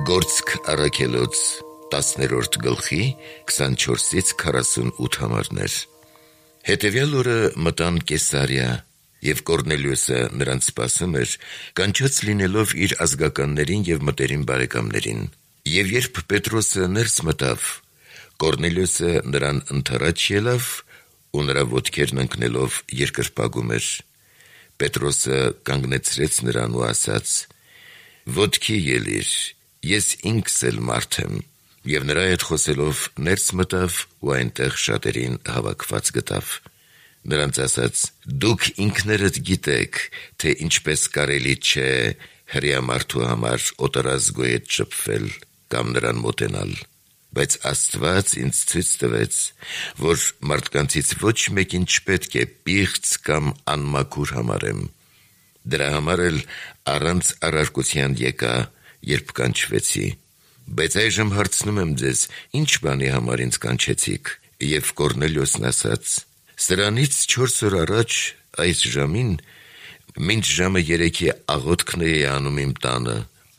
Գործք առաքելոց 10-րդ գլխի 24-ից 48 համարներ։ Հետևյալ օրը մտան Կեսարիա, և Կորնելիոսը նրանց սպասում էր, կանչած լինելով իր ազգականներին և մտերիմ բարեկամներին։ Եվ երբ Պետրոսը ներս մտավ, Կորնելիոսը նրան ընդառաջ ելավ ու նրա ոտքերն ընկնելով երկրպագում էր։ Պետրոսը կանգնեցրեց նրան ու ասաց. «Ոտքի ելիր, ես ինքս էլ մարդ եմ», և նրա հետ խոսելով ներս մտավ ու այնտեղ շատերին հավաքված գտավ։ Նրանց ասաց. «Դուք ինքներդ գիտեք, թե ինչպես կարելի չէ հրեա մարդու համար օտարազգու հետ շփվել կամ նրան մոտենալ, բայց Աստված ինձ ցույց տվեց, որ մարդկանցից ոչ մեկին չպետք է պիղծ կամ անմաքուր համարեմ։ Դրա համար էլ առանց առարկության եկա, երբ կանչվեցի։ Բայց այժմ հարցնում եմ ձեզ, ինչ բանի համար ինձ կանչեցիք»։ Եվ Կորնելիոսն ասաց. «Սրանից 4 օր առաջ այս ժամին, մինչ ժամը 3-ի աղոթքն էի անում իմ տանը,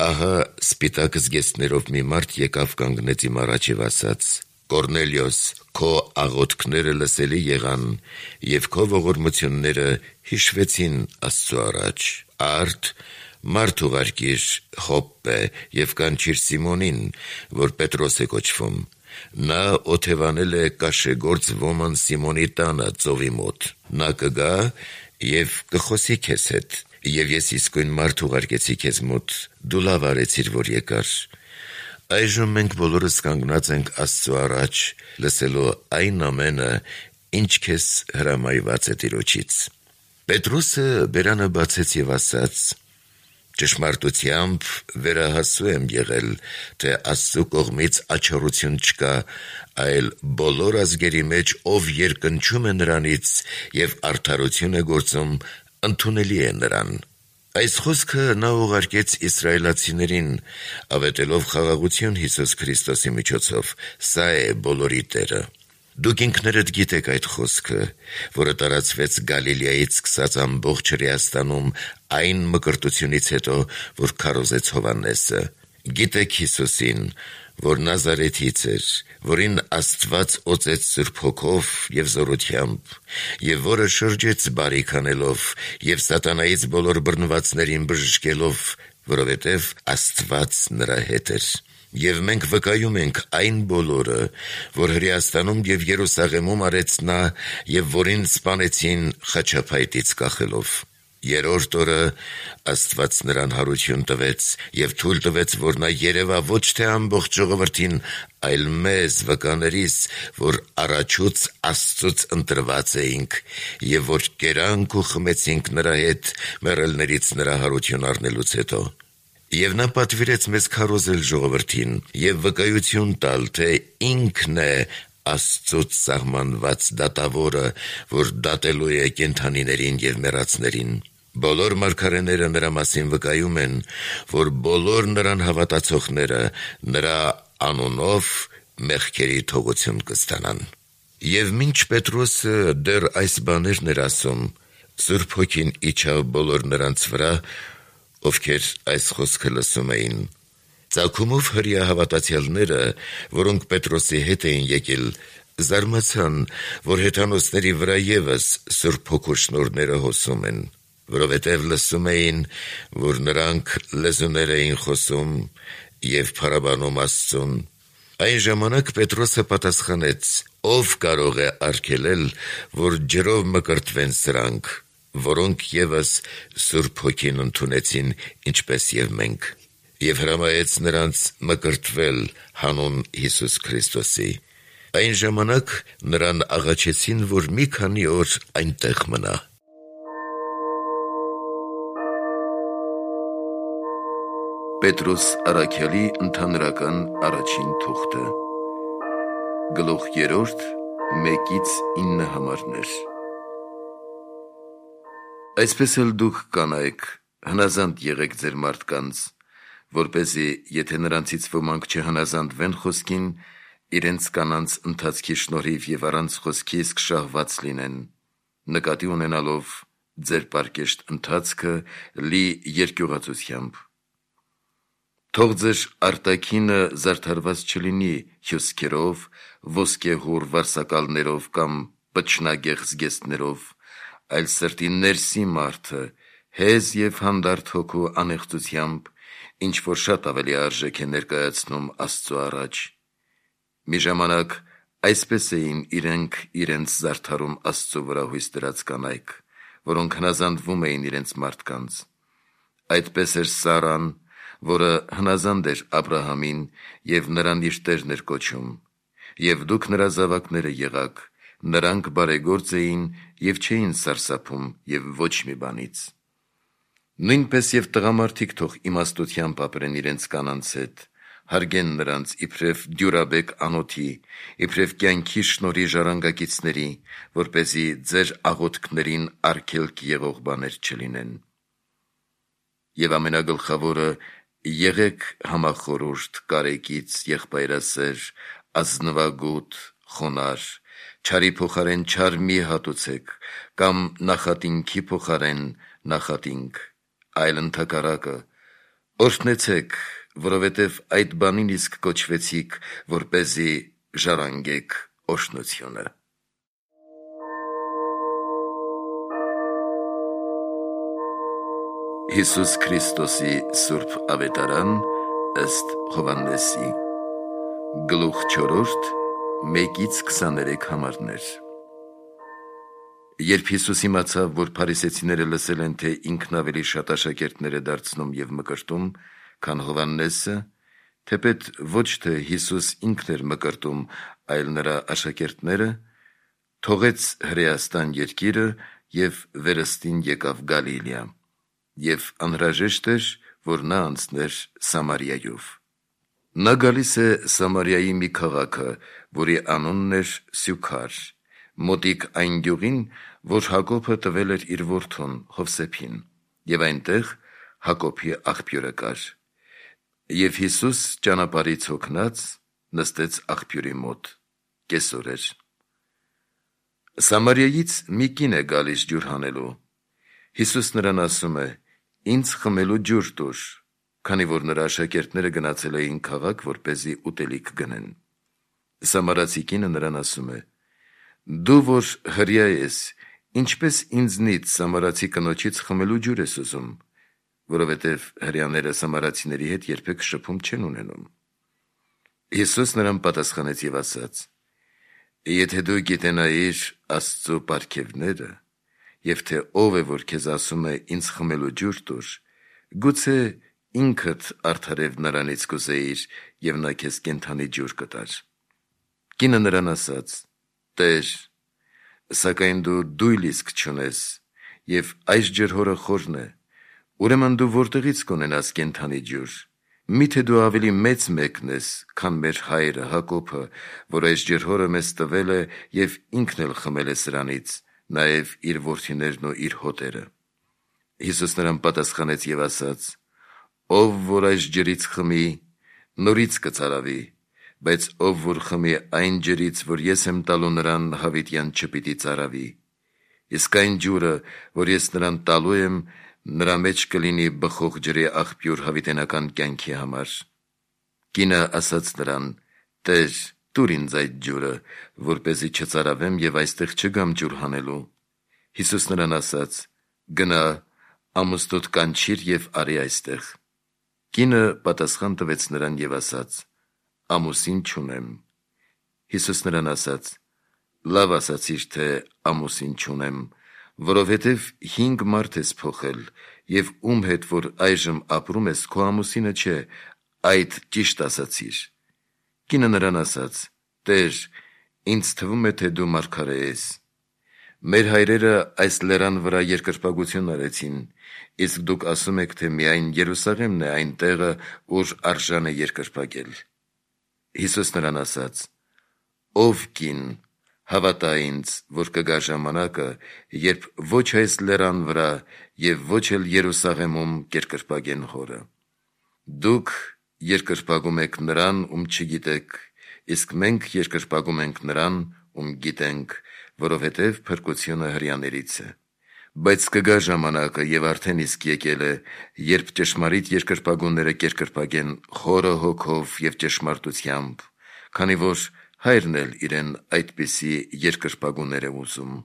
ահա սպիտակ զգեստներով մի մարդ եկավ կանգնեց իմ առաջ և ասաց. «Կորնելիոս, քո աղոթքները լսելի եղան, և քո ողորմությունները հիշվեցին Աստծու առաջ։ Արդ մարդ ուղարկիր Յոպպե և կանչիր Սիմոնին, որ Պետրոս է կոչվում. նա օթևանել է կաշեգործ ոման Սիմոնի տանը ծովի մոտ։ Նա կգա և կխոսի քեզ հետ, և ես իսկույն մարդ ուղարկեցի քեզ մոտ, դու լավ արեցիր, որ եկար։ Այժմ մենք բոլորս կանգնած ենք Աստծու առաջ, լսելու այն ամենը, ինչ քեզ հրամայված է Տիրոջից»։ Պետրոսը բերանը բացեց և ասաց. «Ճշմարտությամբ վերահասու եմ եղել, թե Աստծու կողմից աչառություն չկա, այլ բոլոր ազգերի մեջ, ով երկնչում է նրանից և արդարություն է գործում, ընդունելի է նրան»։ Այս խոսքը նա ուղարկեց իսրայելացիներին, ավետելով խաղաղություն Հիսուս Քրիստոսի միջոցով. սա է բոլորի Տերը։ Դուք ինքներդ գիտեք այդ խոսքը, որը տարածվեց Գալիլեայից սկսած ամբողջ Հրեաստանում այն մկրտությունից հետո, որ քարոզեց Հովհաննեսը։ Գիտեք Հիսուսին, որ Նազարեթից էր, որին Աստված օծեց Սուրբ Հոգով և զորությամբ, և որը շրջեց բարիք անելով և սատանայից բոլոր բռնվածներին բժշկելով, որովհետև Աստված նրա հետ էր։ Եվ մենք վկայում ենք այն բոլորը, որ Հրեաստանում և Երուսաղեմում արեց նա, և որին սպանեցին խաչափայտից կախելով։ Երրորդ օրը Աստված նրան հարություն տվեց և թույլ տվեց, որ նա երևա ոչ թե ամբողջ ժողովրդին, այլ մեզ վկաներիս, որ առաջուց Աստծուց ընտրված էինք, և որ կերանք ու խմեցինք նրա հետ մեռելներից նրա հարություն առնելուց հետո։ Եվ նա պատվիրեց մեզ քարոզել ժողովրդին և վկայություն տալ, թե ինքն է Աստծուց սահմանված դատավորը, որ դատելու է կենդանիներին և մեռածներին։ Բոլոր մարգարեները նրա մասին վկայում են, որ բոլոր նրան հավատացողները նրա անունով մեղքերի թողություն կստանան։ Եվ մինչ Պետրոսը դեռ այս բաներն էր ասում, Սուրբ Հոգին իջավ բոլոր նրանց վրա, ովքեր այս խոսքը լսում էին։ Ծագումով հրեա հավատացյալները, որոնք Պետրոսի հետ էին եկել, զարմացան, որ հեթանոսների վրա ևս Սուրբ Հոգու շնորհները հոսում են, որովհետև լսում էին, որ նրանք լեզուներ էին խոսում և փառաբանում Աստծուն։ Այն ժամանակ Պետրոսը պատասխանեց. «Ով կարող է արգելել, որ ջրով մկրտվեն սրանք, որոնք ևս Սուրբ Հոգին ընդունեցին, ինչպես և մենք»։ Եվ հրամայեց նրանց մկրտվել հանուն Հիսուս Քրիստոսի։ Այն ժամանակ նրան աղաչեցին, որ մի քանի օր այնտեղ մնա։ Պետրոս առաքյալի ընդհանրական առաջին թուղթը, գլուխ 3, 1-9 համարներ։ Այսպես էլ դուք կանայք, հնազանդ եղեք ձեր մարդկանց, որպեսզի, եթե նրանցից ոմանք չհնազանդվեն խոսքին, իրենց կանանց ընթացքի շնորհիվ և առանց խոսքի իսկ շահված լինեն, նկատի ունենալով ձեր պարկեշտ ընթացքը լի երկյուղածությամբ։ Թող ձեր արտաքինը զարդարված չլինի հյուսքերով, ոսկեհուռ վարսակալներով կամ պչնագեղ զգեստներով, այլ սրտի ներսի մարդը հեզ և հանդարտ հոգու անեղծությամբ, ինչ որ շատ ավելի արժեք է ներկայացնում Աստծու առաջ։ Մի ժամանակ այսպես էին իրենք իրենց զարդարում Աստծու վրա հույս դրած կանայք, որոնք հնազանդվում էին իրենց մարդկանց։ Այդպես էր Սարան, որը հնազանդ էր Աբրահամին և նրան իր տերն էր կոչում, և դուք նրա զավակները եղաք, նրանք բարեգործ էին և չէին սարսափում և ոչ մի բանից։ Նույնպես և տղամարդիկ թող իմաստությամբ ապրեն իրենց կանանց հետ, հարգեն նրանց իբրև դյուրաբեկ անոթի, իբրև կյանքի շնորհի ժառանգակիցների, որպեսզի ձեր աղոթքներին արգելք եղող բաներ չլինեն։ Եվ ամենագլխավորը, եղեք համախորհուրդ, կարեկից, եղբայրասեր, ազնվագութ, խոնարհ, չարի փոխարեն չար մի հատուցեք, կամ նախատինքի փոխարեն նախատինք, այլ ընդհակառակը, օրհնեցեք, որովհետև այդ բանին իսկ կոչվեցիք, որպեսզի ժառանգեք օրհնությունը։ Հիսուս Քրիստոսի Սուրբ Ավետարան ըստ Հովհաննեսի, գլուխ 4, 1-23 համարներ։ Երբ Հիսուս իմացավ, որ փարիսեցիները լսել են, թե ինքն ավելի շատ աշակերտներ է դարձնում և մկրտում, քան Հովհաննեսը, թեպետ ոչ թե Հիսուս ինքն էր մկրտում, այլ նրա աշակերտները, թողեց Հրեաստան երկիրը և վերստին եկավ Գալիլեա, և անհրաժեշտ էր, որ նա անցներ Սամարիայով։ Նա գալիս է Սամարիայի մի քաղաքը, որի անունն էր Սյուքար, մոտիկ այն գյուղին, որ Հակոբը տվել էր իր որդուն Հովսեփին, և այնտեղ Հակոբի աղբյուրը կար։ Եվ Հիսուս ճանապարհից հոգնած նստեց աղբյուրի մոտ, կեսօր էր։ Սամարիայից մի կին է գալիս ջուր հանելու։ Հիսուս նրան ասում է. «Ինձ խմելու ջուր տուր», քանի որ նրա աշակերտները գնացել էին քաղաք, որպեսզի ուտելիք գնեն։ Սամարացի կինը նրան ասում է. «Դու որ հրեա ես, ինչպես ինձնից սամարացի կնոջից խմելու ջուր ես ուզում, որովհետև հրեաները սամարացիների հետ երբեք շփում չեն ունենում»։ Հիսուս նրան պատասխանեց և ասաց. «Եթե դու գիտենայիր Աստծու պարգևները, և թե ով է, որ քեզ ասում է ինձ խմելու ջուր տուր, գուցե ինքդ արդարև նրանից կուզեիր, և նա քեզ կենդանի ջուր կտար»։ Կինը նրան ասաց. «Տեր, սակայն դու դույլ իսկ չունես, և այս ջրհորը խորն է, ուրեմն դու որտեղից կունենաս կենդանի ջուր։ Մի՞թե դու ավելի մեծ մեկն ես, քան մեր հայրը Հակոբը, որ այս ջրհորը մեզ տվել է և ինքն էլ խմել է սրանից, նաև իր որդիներն ու իր հոտերը»։ Հիսուս նրան պատասխանեց և ասաց. «Ով որ այս ջրից խմի, նորից կծարավի, բայց ով որ խմի այն ջրից, որ ես եմ տալու նրան, հավիտյան չպիտի ծարավի։ Իսկ այն ջուրը, որ ես նրան տալու եմ, նրա մեջ կլինի բխող ջրի աղբյուր հավիտենական կյանքի համար»։ Կինը ասաց նրան. «Տեր, տուր ինձ այդ ջուրը, որպեսզի չծարավեմ և այստեղ չգամ ջուր հանելու»։ Հիսուս նրան ասաց. «Գնա, ամուսնուդ կանչիր և արի այստեղ»։ Կինը պատասխան տվեց նրան և ասաց. «Ամուսին չունեմ»։ Հիսուս նրան ասաց. «Լավ ասացիր, թե ամուսին չունեմ, որովհետև 5 մարդ ես փոխել, և ում հետ որ այժմ ապրում ես, քո ամուսինը չէ, այդ ճիշտ ասացիր»։ Կինը նրան ասաց. «Տեր, ինձ թվում է, թե դու մարգարե ես։ Մեր հայրերը այս լեռան վրա երկրպագություն արեցին, իսկ դուք ասում եք, թե միայն Երուսաղեմն է այն տեղը, ուր արժան է երկրպագել»։ Հիսուս նրան ասաց. «Ով կին, հավատա ինձ, որ կգա ժամանակը, երբ ոչ այս լեռան վրա և ոչ էլ Երուսաղեմում կերկրպագեն հորը։ Դուք երկրպագում եք նրան, ում չգիտեք, իսկ մենք երկրպագում ենք նրան, ում գիտենք, որովհետև փրկությունը հրեաներից է։ Բայց կգա ժամանակը եւ արդեն իսկ եկել է, երբ ճշմարիտ երկրպագունները կերկրպագեն խորը հոգով եւ ճշմարտությամբ, քանի որ Հայրն էլ իրեն այդպիսի երկրպագուներ է ուզում։